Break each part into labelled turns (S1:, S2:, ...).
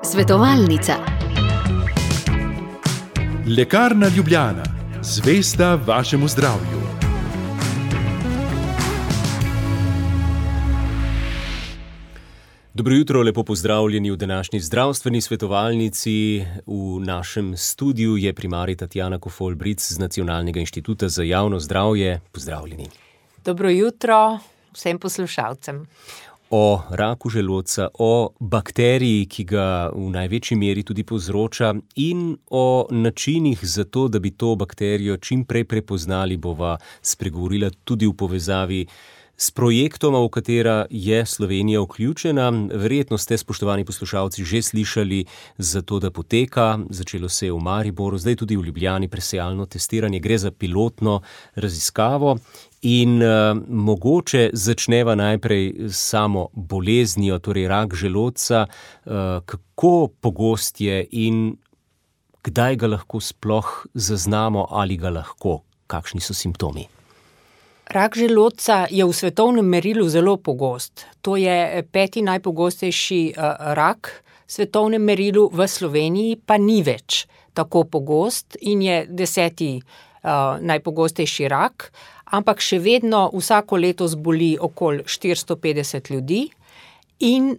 S1: Svetovalnica.
S2: Lekarna Ljubljana, zvesta vašemu zdravju.
S3: Dobro jutro, lepo pozdravljeni v današnji zdravstveni svetovalnici. V našem studiu je primarij Tatjana Kofol-Bric z Nacionalnega inštituta za javno zdravje. Pozdravljeni.
S4: Dobro jutro vsem poslušalcem.
S3: O raku želodca, o bakteriji, ki ga v največji meri tudi povzroča, in o načinih za to, da bi to bakterijo čim prej prepoznali, bova spregovorila tudi v povezavi s projektom, v katera je Slovenija vključena. Verjetno ste, spoštovani poslušalci, že slišali za to, da poteka. Začelo se je v Mariboru, zdaj tudi v Ljubljani presejalno testiranje. Gre za pilotno raziskavo in mogoče začneva najprej s samo boleznijo, torej rak želodca. Kako pogost je in kdaj ga lahko sploh zaznamo ali ga lahko? Kakšni so simptomi?
S4: Rak želodca je v svetovnem merilu zelo pogost. To je 5. najpogostejši rak v svetovnem merilu, v Sloveniji pa ni več tako pogost in je 10. najpogostejši rak, ampak še vedno vsako leto zboli okoli 450 ljudi in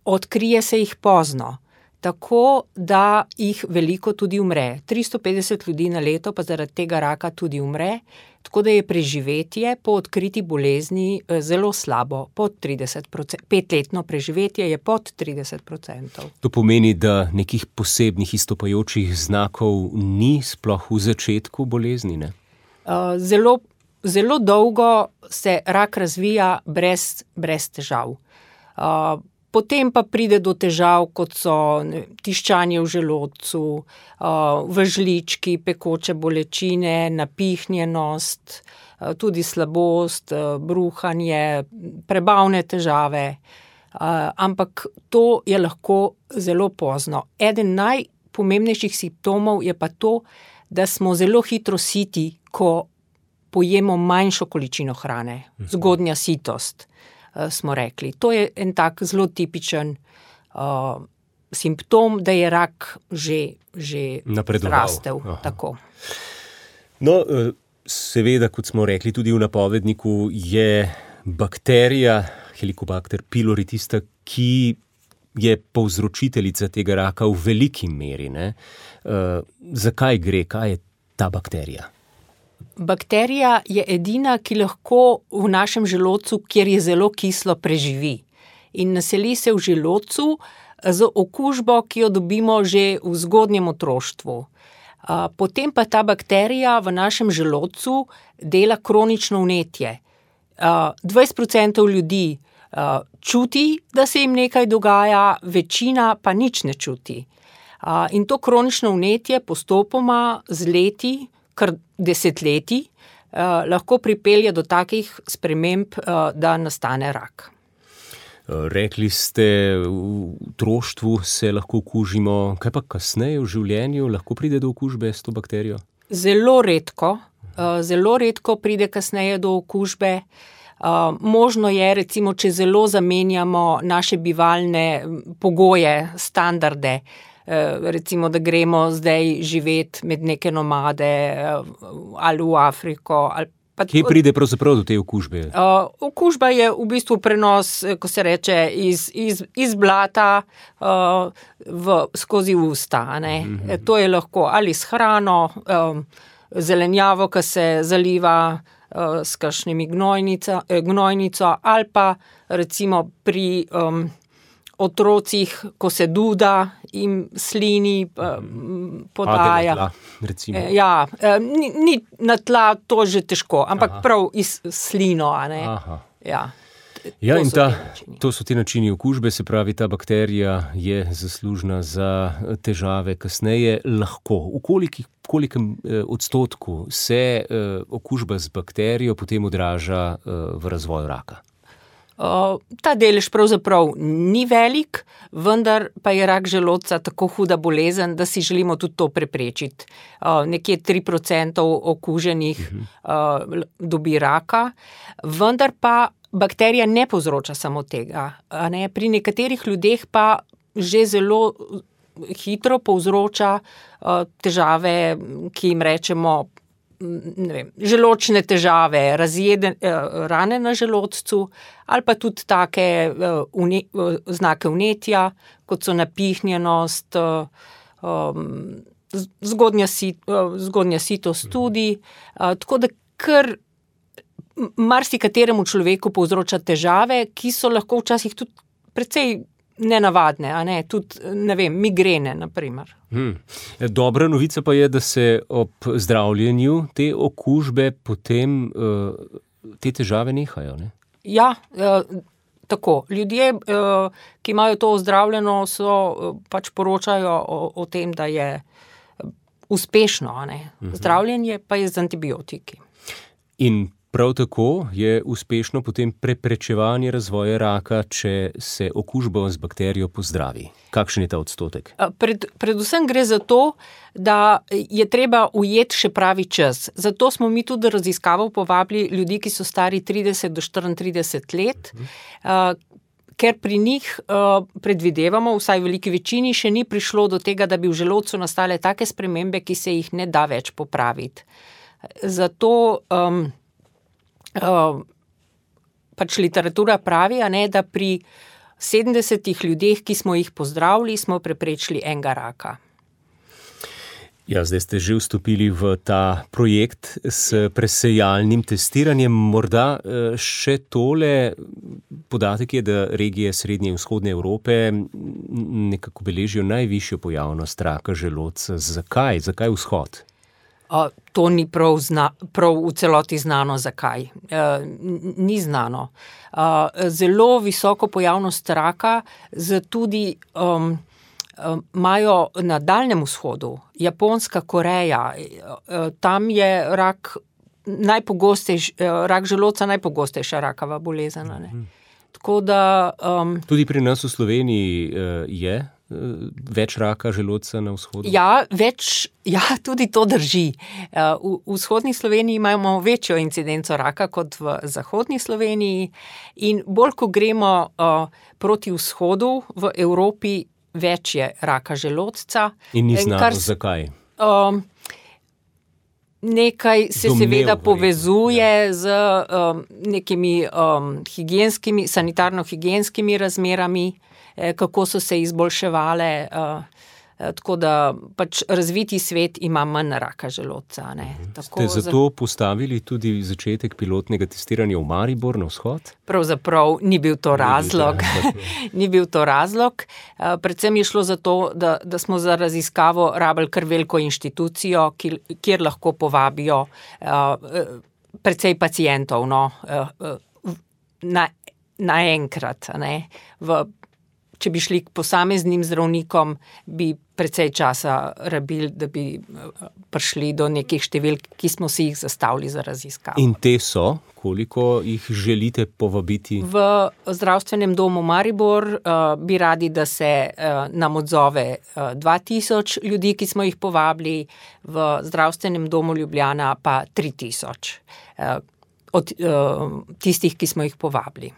S4: odkrije se jih pozno, tako da jih veliko tudi umre. 350 ljudi na leto pa zaradi tega raka tudi umre, tako da je preživetje po odkriti bolezni zelo slabo, pod 30%. 5-letno preživetje je pod 30%.
S3: To pomeni, da nekih posebnih izstopajočih znakov ni sploh v začetku bolezni, ne? Zelo dolgo se rak razvija brez težav. Potem pa pride do težav, kot so tiščanje v želodcu, v žlički, pekoče bolečine, napihnjenost, tudi slabost, bruhanje, prebavne težave. Ampak to je lahko zelo pozno. Eden najpomembnejših simptomov je pa to, da smo zelo hitro siti, ko pojemo manjšo količino hrane. Zgodnja sitost, smo rekli. To je en tak zelo tipičen simptom, da je rak že rastel. Tako. No, seveda, kot smo rekli tudi v napovedniku, je bakterija Helicobacter pylori tista, ki je povzročiteljica tega raka v veliki meri, ne? Zakaj gre? Kaj je ta bakterija?
S4: Bakterija je edina, ki lahko v našem želodcu, kjer je zelo kislo, preživi. In naseli se v želodcu z okužbo, ki jo dobimo že v zgodnjem otroštvu. Potem pa ta bakterija v našem želodcu dela kronično vnetje. 20% ljudi čuti, da se jim nekaj dogaja, večina pa nič ne čuti. In to kronično vnetje postopoma z leti, kar desetletij, lahko pripelje do takih sprememb, da nastane rak.
S3: Rekli ste, v otroštvu se lahko okužimo. Kaj pa kasneje v življenju? Lahko pride do okužbe s to bakterijo?
S4: Zelo redko pride kasneje do okužbe. Možno je, recimo, če zelo zamenjamo naše bivalne pogoje, standarde, recimo, da gremo zdaj živeti med neke nomade ali v Afriko.
S3: Kje pride pravzaprav do te okužbe?
S4: Okužba je v bistvu prenos, ko se reče, iz blata skozi usta. Ne? To je lahko ali s hrano, zelenjavo, ki se zaliva s kakšnimi gnojnico, ali pa recimo pri otrocih, ko se duda in slini podaja.
S3: Tla, recimo.
S4: Ni na tla, to že težko, ampak prav iz slino, a ne?
S3: In to so ti načini okužbe, se pravi, ta bakterija je zaslužna za težave kasneje. Lahko. V kolikem odstotku se okužba z bakterijo potem odraža v razvoju raka?
S4: Ta delež pravzaprav ni velik, vendar pa je rak želodca tako huda bolezen, da si želimo tudi to preprečiti. Nekje 3% okuženih dobi raka, vendar pa bakterija ne povzroča samo tega. Pri nekaterih ljudeh pa že zelo hitro povzroča težave, ki jim rečemo, želočne težave, rane na želodcu, ali pa tudi take znake vnetja, kot so napihnjenost, zgodnja sitost tudi. Tako da kar marsikateremu človeku povzroča težave, ki so lahko včasih tudi precej nenavadne, tudi, migrene, na primer.
S3: Dobra novica pa je, da se ob zdravljenju te okužbe potem te težave nehajo, ne?
S4: Ja, tako. Ljudje, ki imajo to ozdravljeno, pač poročajo o tem, da je uspešno, Zdravljenje pa je z antibiotiki.
S3: In prav tako je uspešno potem preprečevanje razvoja raka, če se okužba z bakterijo pozdravi. Kakšen je ta odstotek?
S4: Predvsem gre za to, da je treba ujeti še pravi čas. Zato smo mi tudi raziskavo povabili ljudi, ki so stari 30 do 34 let, ker pri njih predvidevamo, vsaj v veliki večini, še ni prišlo do tega, da bi v želodcu nastale take spremembe, ki se jih ne da več popraviti. Zato pač literatura pravi, da pri 70 ljudeh, ki smo jih pozdravili, smo preprečili enega raka.
S3: Ja, zdaj ste že vstopili v ta projekt s presejalnim testiranjem. Morda še tole podatek je, da regije Srednje in Vzhodne Evrope nekako beležijo najvišjo pojavnost raka želodca. Zakaj? Zakaj vzhod?
S4: To ni prav v celoti znano, zakaj. Ni znano. Zelo visoko pojavnost raka tudi imajo na Daljnem vzhodu, Japonska, Koreja. Tam je rak želodca najpogostejša rakava bolezen. Tako da
S3: tudi pri nas v Sloveniji je več raka želodca na vzhodu?
S4: Ja, tudi to drži. V vzhodni Sloveniji imamo večjo incidenco raka kot v zahodni Sloveniji in bolj, ko gremo proti vzhodu v Evropi, več je raka želodca.
S3: In ni znano, zakaj?
S4: Nekaj se seveda povezuje z nekimi sanitarno-higienskimi razmerami, kako so se izboljševale, tako da pač razviti svet ima manj raka želodca.
S3: Ste zato postavili tudi začetek pilotnega testiranja v Maribor na vzhod?
S4: Pravzaprav ni bil to razlog. Ni bil to razlog. Predvsem je šlo za to, da smo za raziskavo rabili kar veliko inštitucijo, kjer lahko povabijo precej pacientov naenkrat. Če bi šli k posameznim zdravnikom, bi precej časa rabili, da bi prišli do nekih številk, ki smo si jih zastavili za raziskavo.
S3: In te so? Koliko jih želite povabiti?
S4: V zdravstvenem domu Maribor bi radi, da se nam odzove 2000 ljudi, ki smo jih povabili, v zdravstvenem domu Ljubljana pa 3000 od tistih, ki smo jih povabili.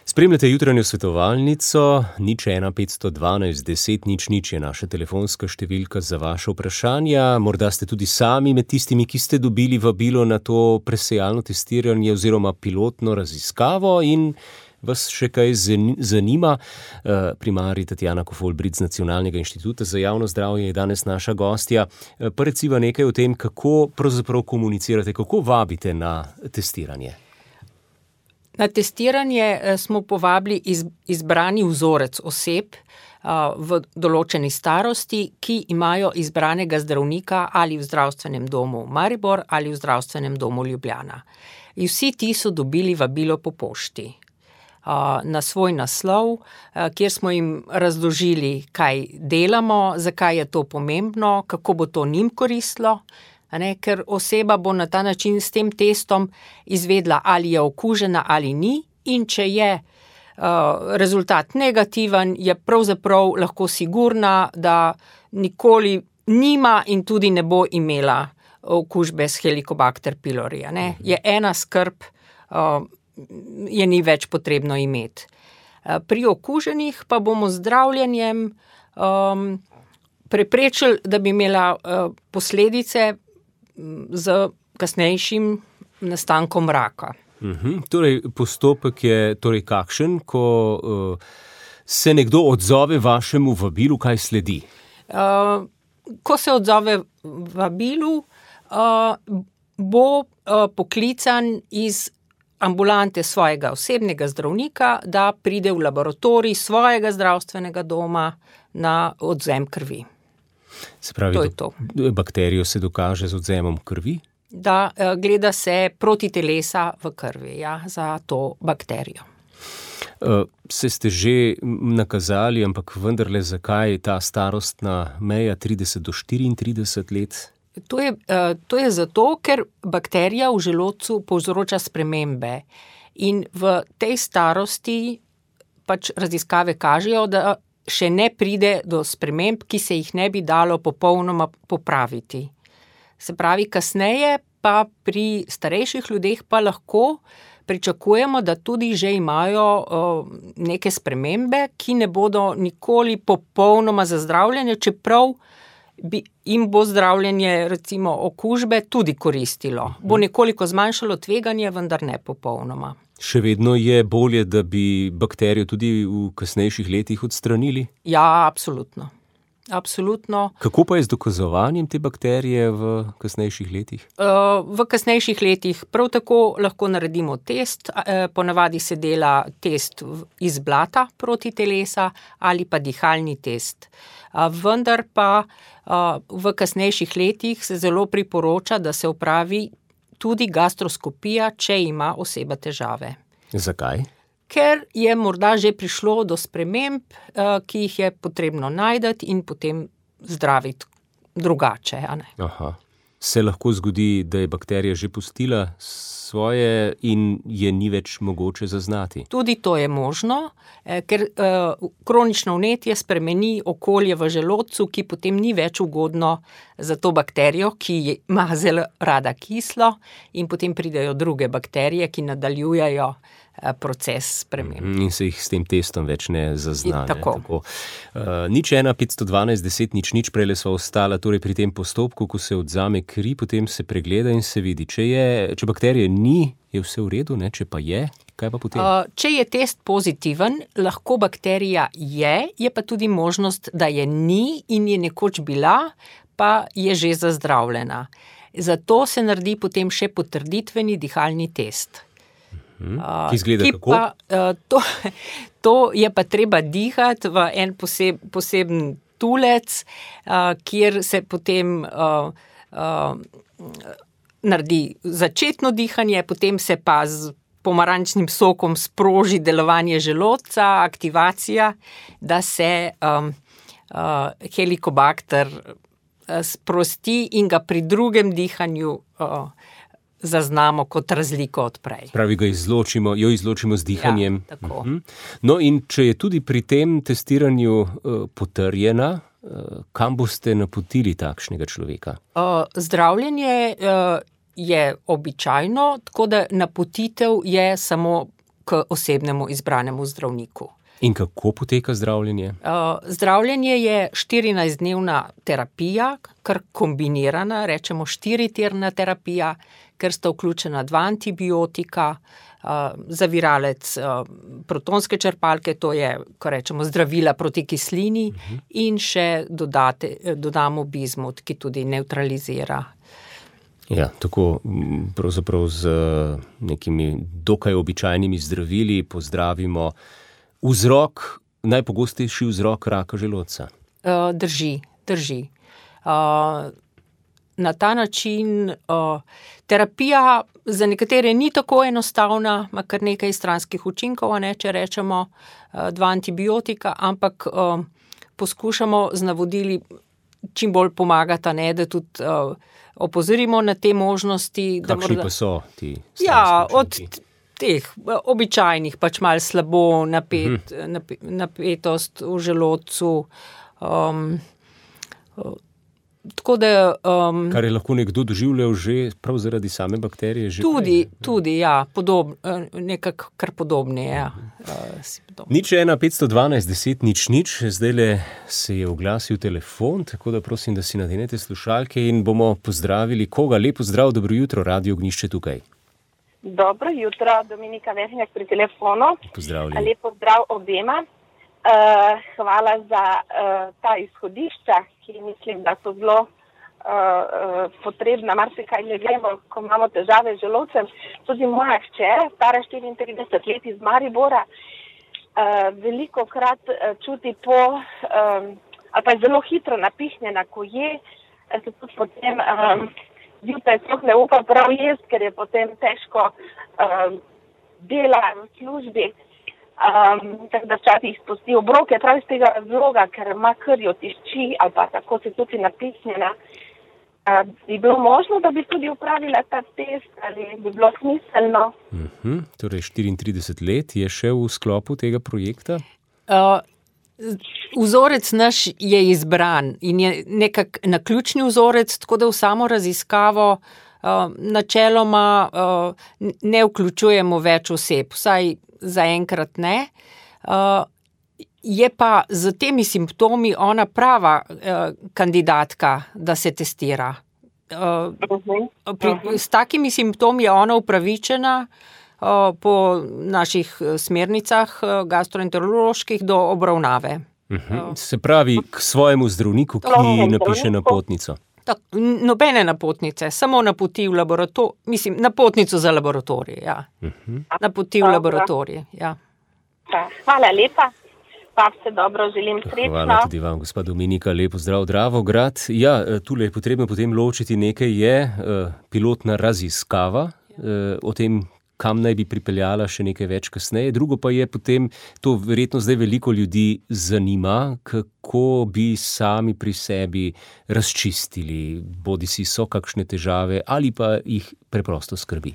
S3: Spremljate jutranjo svetovalnico, 01 512 10 00 je naša telefonska številka za vaše vprašanja. Morda ste tudi sami med tistimi, ki ste dobili vabilo na to presejalno testiranje oziroma pilotno raziskavo in vas še kaj zanima. Primarij Tatjana Kofol-Brit z Nacionalnega inštituta za javno zdravje je danes naša gostja. Pa reciva nekaj o tem, kako pravzaprav komunicirate, kako vabite na testiranje.
S4: Na testiranje smo povabili izbrani vzorec oseb v določeni starosti, ki imajo izbranega zdravnika ali v zdravstvenem domu Maribor ali v zdravstvenem domu Ljubljana. In vsi ti so dobili vabilo po pošti na svoj naslov, kjer smo jim razložili, kaj delamo, zakaj je to pomembno, kako bo to njim koristilo. Ker oseba bo na ta način s tem testom izvedla, ali je okužena ali ni, in če je rezultat negativen, je pravzaprav lahko sigurna, da nikoli nima in tudi ne bo imela okužbe s Helicobacter pylori. Je ena skrb je ni več potrebno imeti. Pri okuženih pa bomo z zdravljenjem preprečili, da bi imela posledice z kasnejšim nastankom raka.
S3: Torej, postopek je torej kakšen, ko se nekdo odzove vašemu vabilu, kaj sledi?
S4: Ko se odzove vabilu, bo poklican iz ambulante svojega osebnega zdravnika, da pride v laboratorij svojega zdravstvenega doma na odvzem krvi.
S3: Se pravi, bakterijo se dokaže z odvzemom krvi?
S4: Da, gleda se protitelesa v krvi, za to bakterijo.
S3: Se ste že nakazali, ampak vendarle zakaj ta starostna meja 30 do 34 let?
S4: To je zato, ker bakterija v želodcu povzroča spremembe in v tej starosti pač raziskave kažejo, da še ne pride do sprememb, ki se jih ne bi dalo popolnoma popraviti. Se pravi, kasneje pa pri starejših ljudeh pa lahko pričakujemo, da tudi že imajo neke spremembe, ki ne bodo nikoli popolnoma zazdravljene, čeprav jim bo zdravljenje recimo okužbe tudi koristilo. Bo nekoliko zmanjšalo tveganje, vendar ne popolnoma.
S3: Še vedno je bolje, da bi bakterijo tudi v kasnejših letih odstranili?
S4: Ja, absolutno. Absolutno.
S3: Kako pa je z dokazovanjem te bakterije v kasnejših letih?
S4: V kasnejših letih prav tako lahko naredimo test. Ponavadi se dela test iz blata protitelesa ali pa dihalni test. Vendar pa v kasnejših letih se zelo priporoča, da se opravi tudi gastroskopija, če ima oseba težave.
S3: Zakaj?
S4: Ker je morda že prišlo do sprememb, ki jih je potrebno najti in potem zdraviti drugače.
S3: Aha. Se lahko zgodi, da je bakterija že pustila svoje in je ni več mogoče zaznati?
S4: Tudi to je možno, ker kronično vnetje spremeni okolje v želodcu, ki potem ni več ugodno za to bakterijo, ki ima zelo rada kislo, in potem pridejo druge bakterije, ki nadaljujejo proces sprememb.
S3: In se jih s tem testom več ne zazna.
S4: Tako.
S3: 01 512 10 00, prejle sva ostala torej pri tem postopku, ko se odvzame kri, potem se pregleda in se vidi. Če bakterije ni, je vse v redu, ne? Če pa je, kaj pa potem?
S4: Če je test pozitiven, lahko bakterija je pa tudi možnost, da je ni in je nekoč bila, pa je že zazdravljena. Zato se naredi potem še potrditveni dihalni test.
S3: Ki izgleda kako?
S4: To je pa treba dihati v en poseben tulec, kjer se potem naredi začetno dihanje, potem se pa z pomarančnim sokom sproži delovanje želodca, aktivacija, da se helikobakter sprosti in ga pri drugem dihanju zaznamo kot razliko od prej.
S3: Pravi, jo izločimo z dihanjem.
S4: Ja, tako.
S3: No, in če je tudi pri tem testiranju potrjena, kam boste napotili takšnega človeka?
S4: Zdravljenje je običajno, tako da napotitev je samo k osebnemu izbranemu zdravniku.
S3: In kako poteka zdravljenje?
S4: Zdravljenje je 14-dnevna terapija, kar kombinirana, rečemo 4-tirna terapija, ker sta vključena 2 antibiotika, zaviralec protonske črpalke, to je, ko rečemo, zdravila proti kislini, in še dodamo bizmut, ki tudi nevtralizira.
S3: Ja, tako pravzaprav z nekimi dokaj običajnimi zdravili pozdravimo najpogostejši vzrok raka želodca.
S4: Drži. Na ta način terapija za nekatere ni tako enostavna, ima kar nekaj stranskih učinkov, če rečemo 2 antibiotika, ampak poskušamo z navodili čim bolj pomagati, da tudi opozorimo na te možnosti.
S3: Kakšni pa so ti stranski učinki?
S4: Od teh običajnih, pač malo slabo, napetost v želodcu, Tako da,
S3: Kar je lahko nekdo doživljal že prav zaradi same bakterije. Že
S4: tudi, ja, nekako kar podobne, ja.
S3: Nič 1 512 10 0 0, zdajle se je oglasil telefon, tako da prosim, da si nadenete slušalke in bomo pozdravili koga. Lepo zdrav, dobro jutro, Radio Ognjišče tukaj.
S1: Dobro jutro, Dominika Vešnjak pri telefonu.
S3: Pozdravljeni.
S1: Lepo zdrav obema. Hvala za ta izhodišča, ki mislim, da so zelo potrebna. Marsikaj ne vemo, ko imamo težave z želodcem. Tudi moja hčera, stara 34 let iz Maribora, veliko krat čuti ali pa je zelo hitro napihnjena, ko je, se tudi potem zjutraj sploh ne upa prav jesti, ker je potem težko dela v službi. Tako da včasih spusti obroke prav iz tega razloga, ker ima krjo tišči ali pa tako se tudi napihnjena. Bi bilo možno, da bi tudi upravila ta test ali bi bilo smiselno?
S3: Torej 34 let je še v sklopu tega projekta?
S4: Vzorec naš je izbran in je nekak naključni vzorec, tako da v samo raziskavo načeloma ne vključujemo več oseb, vsaj zaenkrat ne. Je pa z temi simptomi ona prava kandidatka, da se testira. S takimi simptomi je ona upravičena po naših smernicah gastroenteroloških do obravnave.
S3: Se pravi k svojemu zdravniku, ki napiše napotnico.
S4: Nobene napotnice, samo napoti v napotnico za laboratorij, ja. Napoti v laboratorij, ja.
S1: Hvala lepa. Pa vse dobro, želim srečno.
S3: Hvala tudi vam, gospa Dominika, lepo zdrav, Dravograd. Ja, tule je potrebno potem ločiti, nekaj je pilotna raziskava o tem, kam naj bi pripeljala še nekaj več kasneje. Drugo pa je potem, to verjetno zdaj veliko ljudi zanima, kako bi sami pri sebi razčistili, bodisi so kakšne težave ali pa jih preprosto skrbi.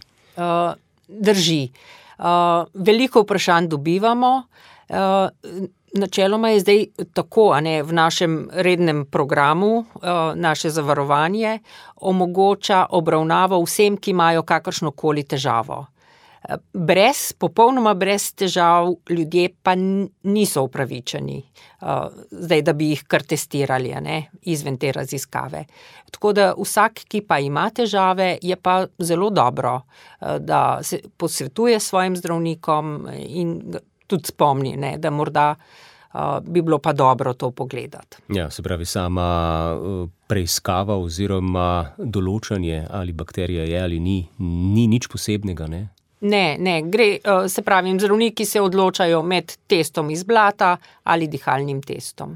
S4: Drži. Veliko vprašanj dobivamo. Načeloma je zdaj tako, v našem rednem programu naše zavarovanje omogoča obravnavo vsem, ki imajo kakršnokoli težavo. Popolnoma brez težav ljudje pa niso upravičeni, zdaj, da bi jih kar testirali, izven te raziskave. Tako da vsak, ki pa ima težave, je pa zelo dobro, da se posvetuje s svojim zdravnikom in tudi spomni, da morda bi bilo pa dobro to pogledati.
S3: Ja, se pravi, sama preiskava oziroma določanje, ali bakterija je ali ni nič posebnega, ne?
S4: Ne, gre, se pravi, zdravniki se odločajo med testom iz blata ali dihalnim testom.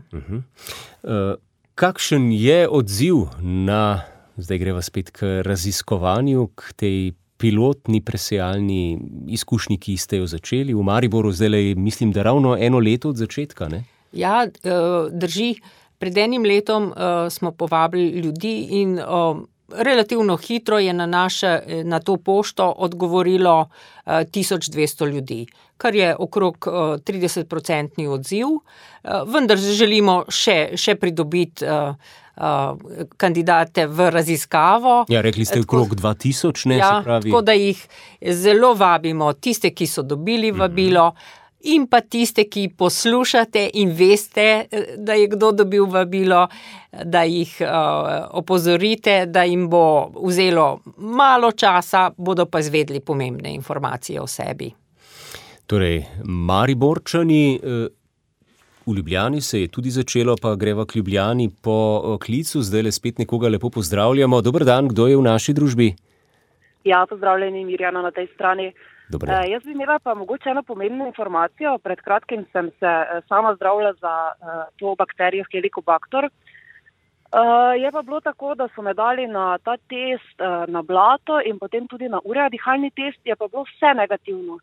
S3: Kakšen je odziv na, zdaj greva spet k raziskovanju, k tej pilotni presejalni izkušnji, ki ste jo začeli v Mariboru, zdaj mislim, da ravno 1 leto od začetka, ne?
S4: Ja, drži. Pred 1 letom smo povabili ljudi in relativno hitro je na to pošto odgovorilo 1200 ljudi, kar je okrog 30% odziv, vendar želimo še pridobiti kandidate v raziskavo.
S3: Ja, rekli ste okrog 2000, ne, se pravi.
S4: Tako da jih zelo vabimo, tiste, ki so dobili vabilo, in pa tiste, ki poslušate in veste, da je kdo dobil vabilo, da jih opozorite, da jim bo vzelo malo časa, bodo pa izvedli pomembne informacije o sebi.
S3: Torej, Mariborčani, v Ljubljani se je tudi začelo, pa greva k Ljubljani po klicu, zdaj spet nekoga lepo pozdravljamo. Dober dan, kdo je v naši družbi?
S5: Ja, pozdravljeni, Mirjana na tej strani.
S3: Jaz
S5: bi imela pa mogoče eno pomembno informacijo. Pred kratkim sem se sama zdravila za to bakterijo Helicobacter. Je pa bilo tako, da so me dali na ta test na blato in potem tudi na urea dihalni test, je pa bilo vse negativno.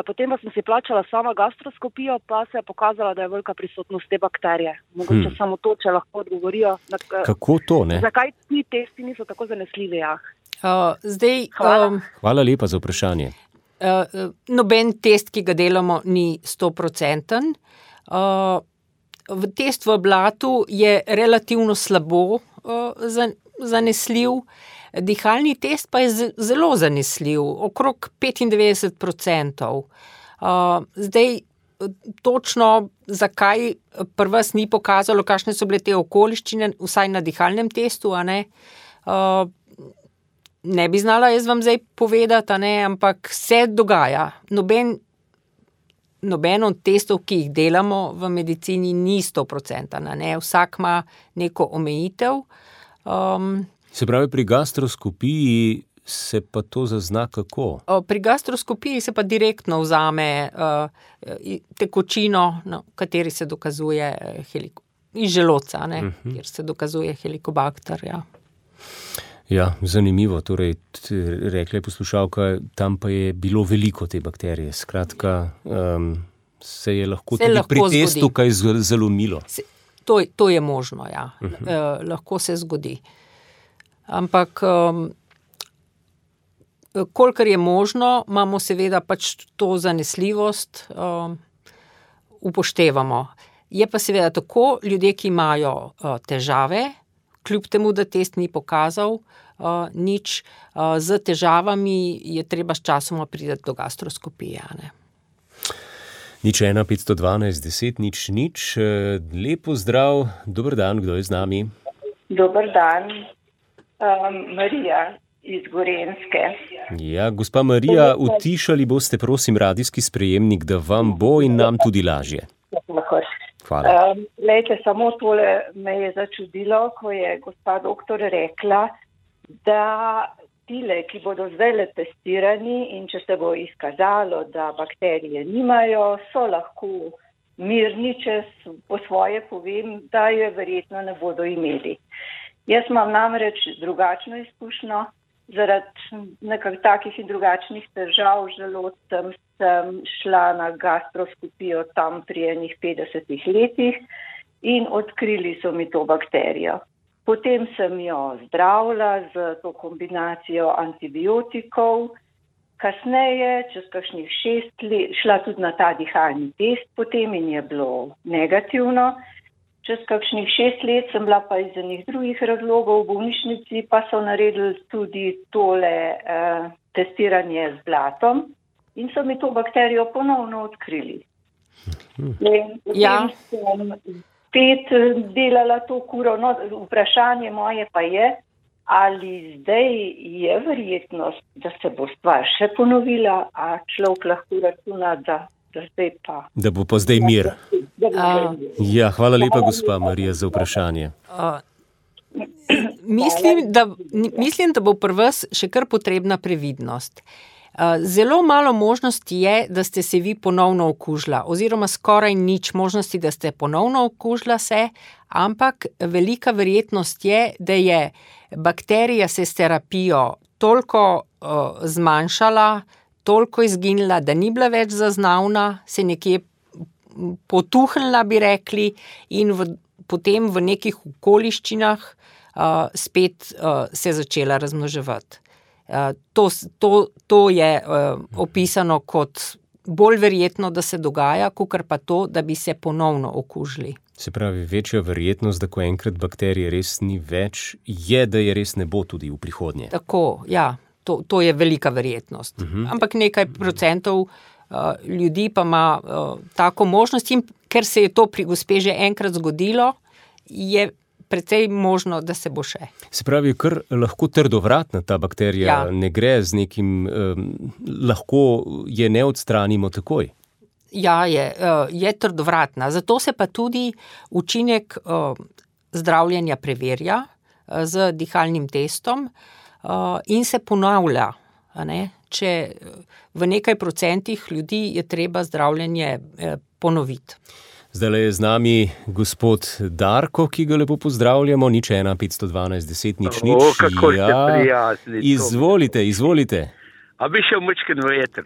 S5: Potem pa sem si plačala sama gastroskopijo, pa se je pokazala, da je velika prisotnost te bakterije. Mogoče samo to, če lahko odgovorijo.
S3: Kako to, ne?
S5: Zakaj ti testi niso tako zanesljivi?
S3: Hvala lepa za vprašanje.
S4: Noben test, ki ga delamo, ni 100%. Test v blatu je relativno slabo zanesljiv, dihalni test pa je zelo zanesljiv, okrog 95%. Zdaj, točno zakaj pri vas ni pokazalo, kakšne so bile te okoliščine, vsaj na dihalnem testu, a ne? Ne bi znala jaz vam zdaj povedati, a ne, ampak se dogaja. Noben od testov, ki jih delamo v medicini, ni 100%, ne? Vsak ima neko omejitev.
S3: Se pravi, pri gastroskopiji se pa to zazna kako?
S4: Pri gastroskopiji se pa direktno vzame tekočino, v kateri se dokazuje iz želodca, ne? Kjer se dokazuje helikobakter, ja.
S3: Ja, zanimivo. Torej, rekla je poslušalka, tam pa je bilo veliko te bakterije. Skratka, se je lahko tudi pri testu kaj zalomilo.
S4: To je možno, ja. Lahko se zgodi. Ampak kolikor je možno, imamo seveda pač to zanesljivost, upoštevamo. Je pa seveda tako, ljudje, ki imajo težave, kljub temu, da test ni pokazal nič, z težavami je treba s časoma priti do gastroskopije, ne.
S3: 01 512 10 0 0. Lepo zdrav, dober dan, kdo je z nami?
S6: Dober dan, Marija iz Gorenjske.
S3: Ja, gospa Marija, utišali boste, prosim, radijski sprejemnik, da vam bo in nam tudi lažje. Hvala.
S6: Lejte, samo tole me je začudilo, ko je gospa doktor rekla, da tile, ki bodo zdaj testirani in če se bo izkazalo, da bakterije nimajo, so lahko mirni, če po svoje povem, da je verjetno ne bodo imeli. Jaz imam namreč drugačno izkušnjo, zaradi nekak takih in drugačnih težav želodcem sem šla na gastroskopijo tam pri enih 50 letih in odkrili so mi to bakterijo. Potem sem jo zdravila z to kombinacijo antibiotikov, kasneje, čez kakšnih 6 let, šla tudi na ta dihalni test potem in je bilo negativno. Čez kakšnih 6 let sem bila pa iz enih drugih razlogov v bolnišnici, pa so naredili tudi tole testiranje z blatom in so mi to bakterijo ponovno odkrili.
S4: Ja.
S6: Sem spet delala to kuro. No, vprašanje moje pa je, ali zdaj je verjetnost, da se bo stvar še ponovila, a človek lahko računa, da zdaj pa.
S3: Da bo pa zdaj mir. Ja, hvala lepa, gospa Marija, za vprašanje.
S4: Mislim, da bo pri vas še kar potrebna previdnost. Zelo malo možnosti je, da ste se vi ponovno okužila, oziroma skoraj nič možnosti, da ste ponovno okužila se, ampak velika verjetnost je, da je bakterija se s terapijo toliko zmanjšala, toliko izginila, da ni bila več zaznavna, se nekje potuhnila, bi rekli, in potem v nekih okoliščinah spet se začela razmnoževati. To je opisano kot bolj verjetno, da se dogaja, kakor pa to, da bi se ponovno okužili.
S3: Se pravi, večja verjetnost, da ko enkrat bakterije res ni več, je, da je res ne bo tudi v prihodnje.
S4: Tako, ja. To je velika verjetnost. Ampak nekaj procentov ljudi pa ima tako možnost, in ker se je to pri gospe že enkrat zgodilo, je precej možno, da se bo še.
S3: Se pravi, kar lahko trdovratna ta bakterija, ne gre z nekim, lahko je ne odstranimo takoj.
S4: Ja, je trdovratna. Zato se pa tudi učinek zdravljenja preverja z dihalnim testom, in se ponavlja, ne? Če v nekaj procentih ljudi je treba zdravljenje ponoviti.
S3: Zdaj je z nami gospod Darko, ki ga lepo pozdravljamo, 01 512 10 0 0.
S7: Kako ste prijazni.
S3: Izvolite.
S7: A bi šel mečken v eter?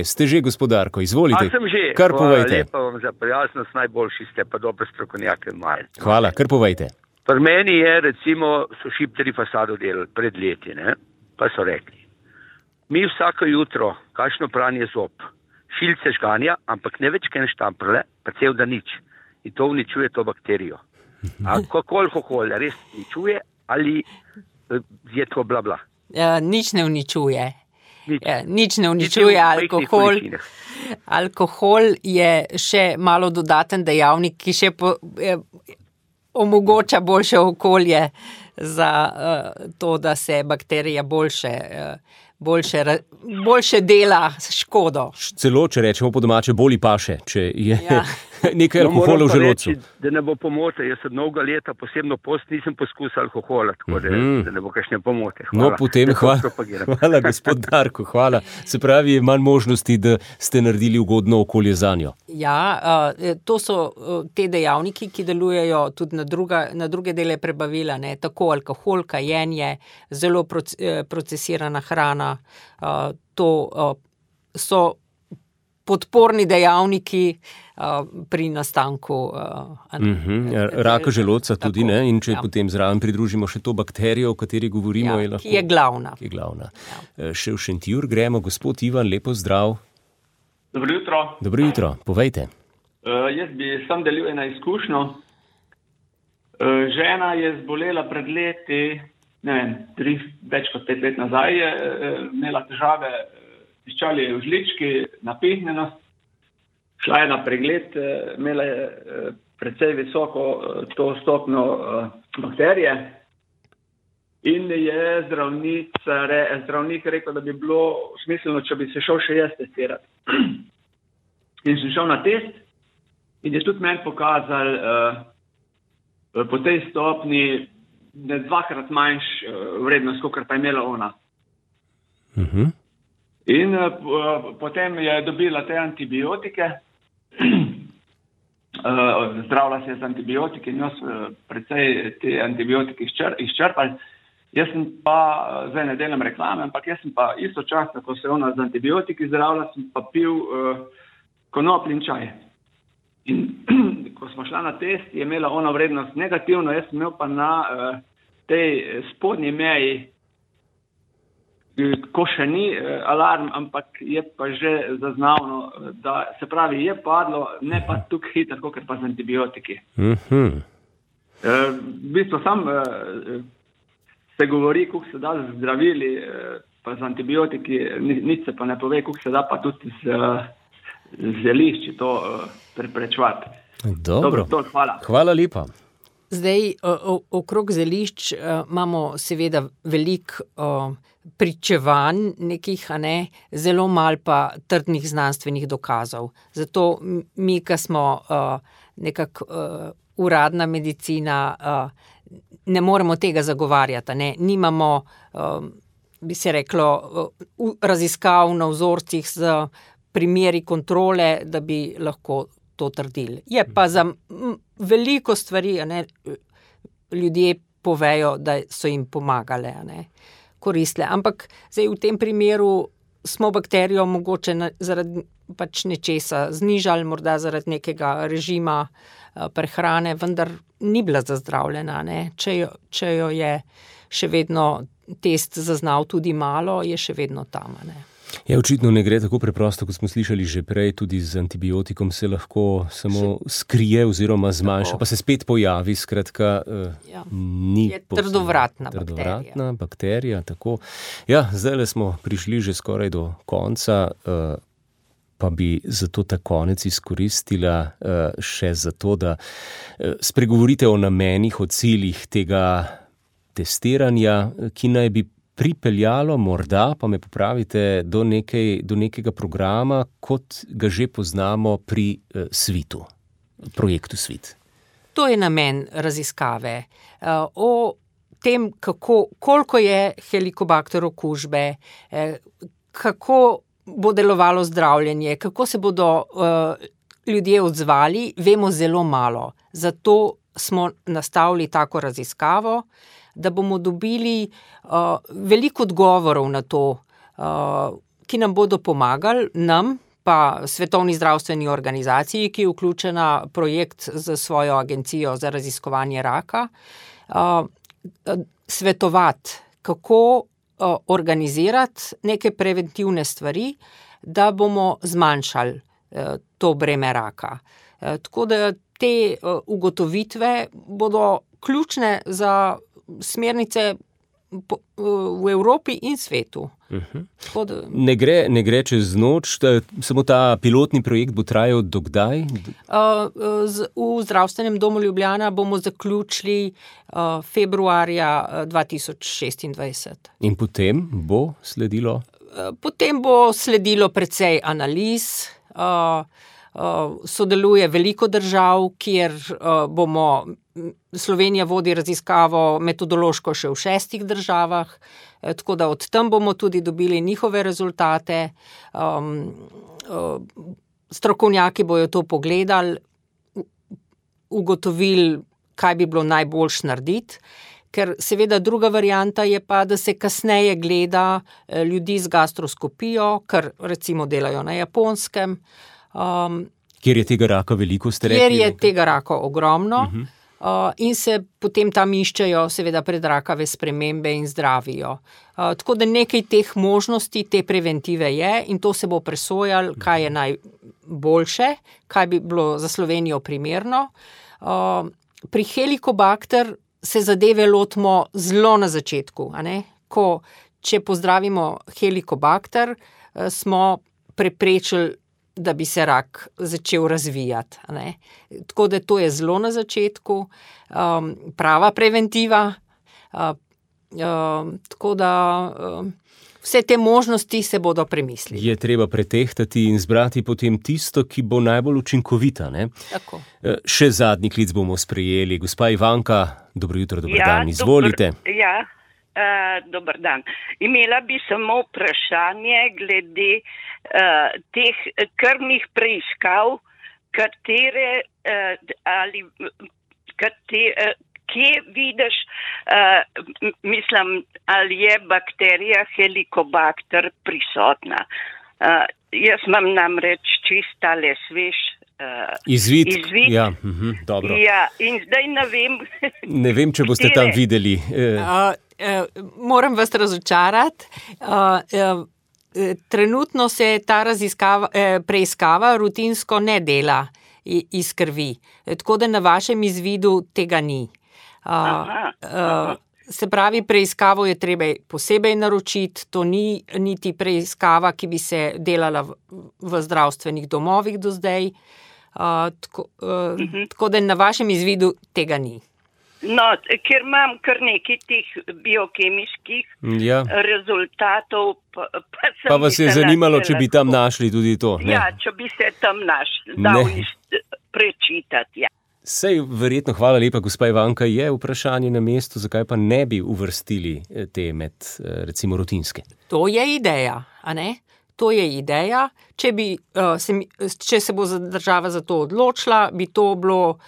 S3: Ste že, gospod Darko, izvolite.
S7: A sem že.
S3: Kar povejte.
S7: Lepa vam za prijaznost, najboljši ste, pa dobro strokovnjake imajo.
S3: Hvala, kar povejte.
S7: Pri meni je, recimo, so šipteri fasado delali pred leti, ne? Pa so rekli, mi vsako jutro, kakšno pranje zob, šilce žganja, ampak ne več kaj štamprle, pa cel da nič. In to uničuje to bakterijo. Alkohol res uničuje ali je to bla bla?
S4: Nič ne uničuje. Nič ne uničuje alkohol. Alkohol je še malo dodaten dejavnik, ki še omogoča boljše okolje za to, da se bakterija boljše dela škodo.
S3: Celo, če rečemo po domače, boli paše, če je nekaj alkohola v želodcu.
S7: Reči, da ne bo pomote, jaz od mnogo leta, posebno post, nisem poskusil alkohola, tako da ne bo kakšne pomote. Hvala.
S3: No, potem hvala, gospod Darko, hvala. Se pravi, je manj možnosti, da ste naredili ugodno okolje zanjo.
S4: Ja, to so te dejavniki, ki delujejo tudi na druge dele prebavila, ne, tako alkohol, kajenje, zelo procesirana hrana, to so podporni dejavniki pri nastanku
S3: raka želodca tudi, ne? In če potem zraven pridružimo še to bakterijo, o kateri govorimo, je lahko...
S4: Ki je glavna.
S3: Še v Šentjur gremo, gospod Ivan, lepo zdrav.
S8: Dobro jutro.
S3: Dobro jutro, povejte.
S8: Jaz bi sam delil eno izkušnjo. Žena je zbolela pred leti, več kot 5 let nazaj, je imela težave, piščali je v žlički, napihnjenost, šla je na pregled, imela je precej visoko to stopnjo bakterije in je zdravnik rekel, da bi bilo smiselno, če bi se šel še jaz testirati. In sem šel na test in je tudi meni pokazal po tej stopni ne 2-krat manjš vrednost, kot pa je imela ona. In potem je dobila te antibiotike, zdravila se je z antibiotiki in jaz precej te antibiotike izčrpali. Jaz sem pa, zdaj ne delam reklame, ampak jaz sem pa istočasno, ko se je ona z antibiotiki zdravila, sem pa pil konopljin čaj. In ko smo šla na test, je imela ona vrednost negativno, jaz sem imel pa na tej spodnji meji, ko še ni alarm, ampak je pa že zaznavno, da se pravi, je padlo, ne pa tukaj hitro, kot pa z antibiotiki. V bistvu sam se govori, koliko se da z zdravili, pa z antibiotiki, nič se pa ne pove, koliko se da pa tudi z zelišči to preprečevati.
S3: Dobro,
S8: hvala.
S3: Hvala lepa.
S4: Zdaj, okrog zelišč imamo seveda veliko pričevanj nekih, zelo malo pa trdnih znanstvenih dokazov. Zato mi, ki smo nekako uradna medicina, ne moremo tega zagovarjati, nimamo, bi se reklo, raziskav na vzorcih z primeri kontrole, da bi lahko to trdili. Je pa za veliko stvari, ljudje povejo, da so jim pomagale, koristile. Ampak zdaj v tem primeru smo bakterijo mogoče zaradi pač nečesa znižali, morda zaradi nekega režima prehrane, vendar ni bila zazdravljena, Če jo je še vedno test zaznal tudi malo, je še vedno tam,
S3: Ja, očitno ne gre tako preprosto, kot smo slišali že prej, tudi z antibiotikom se lahko samo skrije oziroma zmanjša, pa se spet pojavi, skratka, ni
S4: je trdovratna
S3: bakterija, tako. Ja, zdajle smo prišli že skoraj do konca, pa bi zato ta konec izkoristila še zato, da spregovorite o namenih, o ciljih tega testiranja, ki naj bi pripeljalo morda, pa me popravite, do nekega programa, kot ga že poznamo pri SWIT-u, projektu SWIT.
S4: To je namen raziskave. O tem, koliko je helikobakter okužbe, kako bo delovalo zdravljenje, kako se bodo ljudje odzvali, vemo zelo malo. Zato smo nastavili tako raziskavo, da bomo dobili veliko odgovorov na to, ki nam bodo pomagali, nam pa Svetovni zdravstveni organizaciji, ki je vključena projekt za svojo agencijo za raziskovanje raka, svetovati, kako organizirati neke preventivne stvari, da bomo zmanjšali to breme raka. Tako da te ugotovitve bodo ključne za smernice v Evropi in svetu.
S3: Ne gre čez noč, samo ta pilotni projekt bo trajal do kdaj?
S4: V zdravstvenem domu Ljubljana bomo zaključili februarja 2026.
S3: In potem bo sledilo?
S4: Potem bo sledilo precej analiz, sodeluje veliko držav, kjer Slovenija vodi raziskavo metodološko še v 6 državah, tako da od tam bomo tudi dobili njihove rezultate. Strokovnjaki bojo to pogledali, ugotovili, kaj bi bilo najboljš narediti, ker seveda druga varianta je pa, da se kasneje gleda ljudi z gastroskopijo, kar recimo delajo na Japonskem.
S3: Kjer je tega raka veliko, ste rekli?
S4: Kjer je tega raka ogromno. In se potem tam iščejo seveda predrakave spremembe in zdravijo. Tako da nekaj teh možnosti, te preventive je in to se bo presojalo, kaj je najboljše, kaj bi bilo za Slovenijo primerno. Pri Helicobacter se zadeve lotimo zelo na začetku, a ne? Če pozdravimo Helicobacter, smo preprečili, da bi se rak začel razvijati. Ne? Tako da to je zelo na začetku, prava preventiva. Tako da vse te možnosti se bodo premislili.
S3: Je treba pretehtati in zbrati potem tisto, ki bo najbolj učinkovita. Ne?
S4: Tako.
S3: Še zadnji klic bomo sprejeli. Gospa Ivanka, dobro jutro, dober dan, izvolite.
S9: Dober dan. Imela bi samo vprašanje glede teh krvnih preiskav, kje vidiš, ali je bakterija Helicobacter prisotna. Jaz imam namreč čistale svež
S3: izvid. Ja, dobro.
S9: Ja, in zdaj ne vem.
S3: Ne vem, če boste tam videli.
S4: Moram vas razočarati. Trenutno se ta preiskava rutinsko ne dela iz krvi. Tako da na vašem izvidu tega ni. Se pravi, preiskavo je treba posebej naročiti, to ni niti preiskava, ki bi se delala v zdravstvenih domovih do zdaj. Tako da na vašem izvidu tega ni.
S9: No, ker imam kar nekaj teh biokemiških rezultatov,
S3: pa vas je zanimalo, če bi tam našli tudi to. Ne?
S9: Ja, če bi se tam dal prečitati, ja.
S3: Sej, verjetno, hvala lepa, gospa Ivanka, je vprašanje na mestu, zakaj pa ne bi uvrstili te med, recimo, rutinske?
S4: To je ideja, a ne? To je ideja. Če se bo država za to odločila, bi to bilo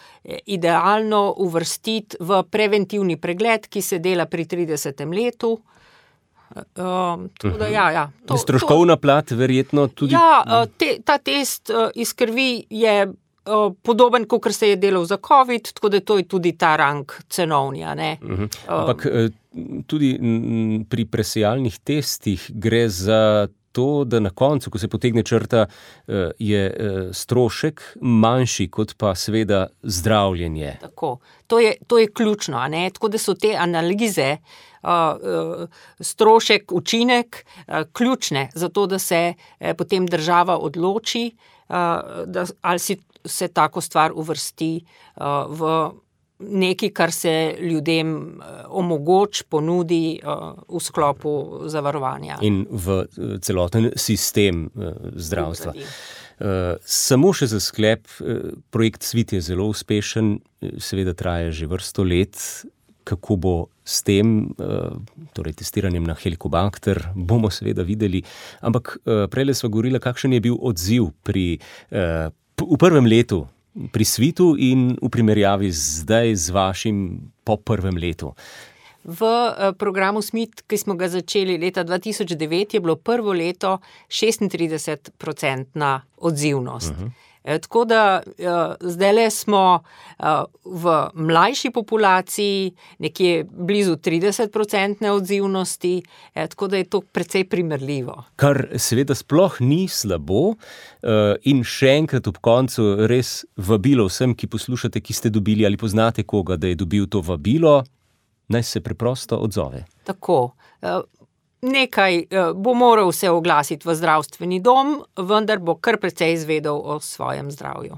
S4: idealno uvrstiti v preventivni pregled, ki se dela pri 30. letu.
S3: Stroškovna plat verjetno tudi?
S4: Ja, ta test iz krvi je podoben, kot se je delal za COVID, tako da to je tudi ta rang cenovni, ne?
S3: Ampak tudi pri presejalnih testih gre za to, da na koncu, ko se potegne črta, je strošek manjši kot pa seveda zdravljenje.
S4: Tako. To je ključno, a ne? Tako da so te analize, strošek, učinek ključne za to, da se potem država odloči, ali se tako stvar uvrsti v nekaj, kar se ljudem ponudi v sklopu zavarovanja.
S3: In v celoten sistem zdravstva. Samo še za sklep, projekt Svit je zelo uspešen, seveda traja že vrsto let. Kako bo s tem, torej testiranjem na Helicobacter, bomo seveda videli. Ampak prejle sva govorila, kakšen je bil odziv v prvem letu pri Svitu in v primerjavi zdaj z vašim po prvem letu.
S4: V programu SMIT, ki smo ga začeli leta 2009, je bilo prvo leto 36% odzivnost. Tako da zdajle smo v mlajši populaciji nekje blizu 30% odzivnosti, tako da je to precej primerljivo.
S3: Kar seveda sploh ni slabo in še enkrat ob koncu res vabilo vsem, ki poslušate, ki ste dobili ali poznate koga, da je dobil to vabilo, naj se preprosto odzove.
S4: Tako. Nekaj bo moral se oglasiti v zdravstveni dom, vendar bo kar precej izvedel o svojem zdravju.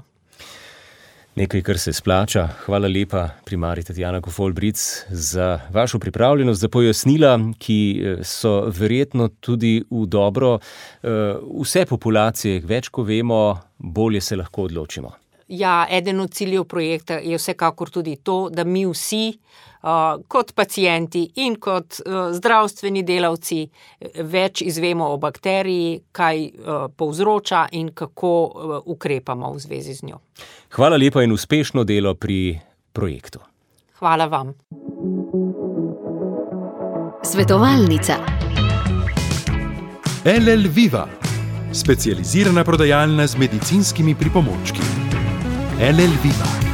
S3: Nekaj, kar se splača. Hvala lepa, primarij Tatjana Kofol-Bric, za vašo pripravljenost, za pojasnila, ki so verjetno tudi v dobro vse populacije. Več, ko vemo, bolje se lahko odločimo.
S4: Ja, eden od ciljev projekta je vsekakor tudi to, da mi vsi kot pacienti in kot zdravstveni delavci več izvemo o bakteriji, kaj povzroča in kako ukrepamo v zvezi z njo.
S3: Hvala lepa in uspešno delo pri projektu.
S4: Hvala vam.
S10: Svetovalnica.
S2: LL Viva, specializirana prodajalna z medicinskimi pripomočki. LL Viva.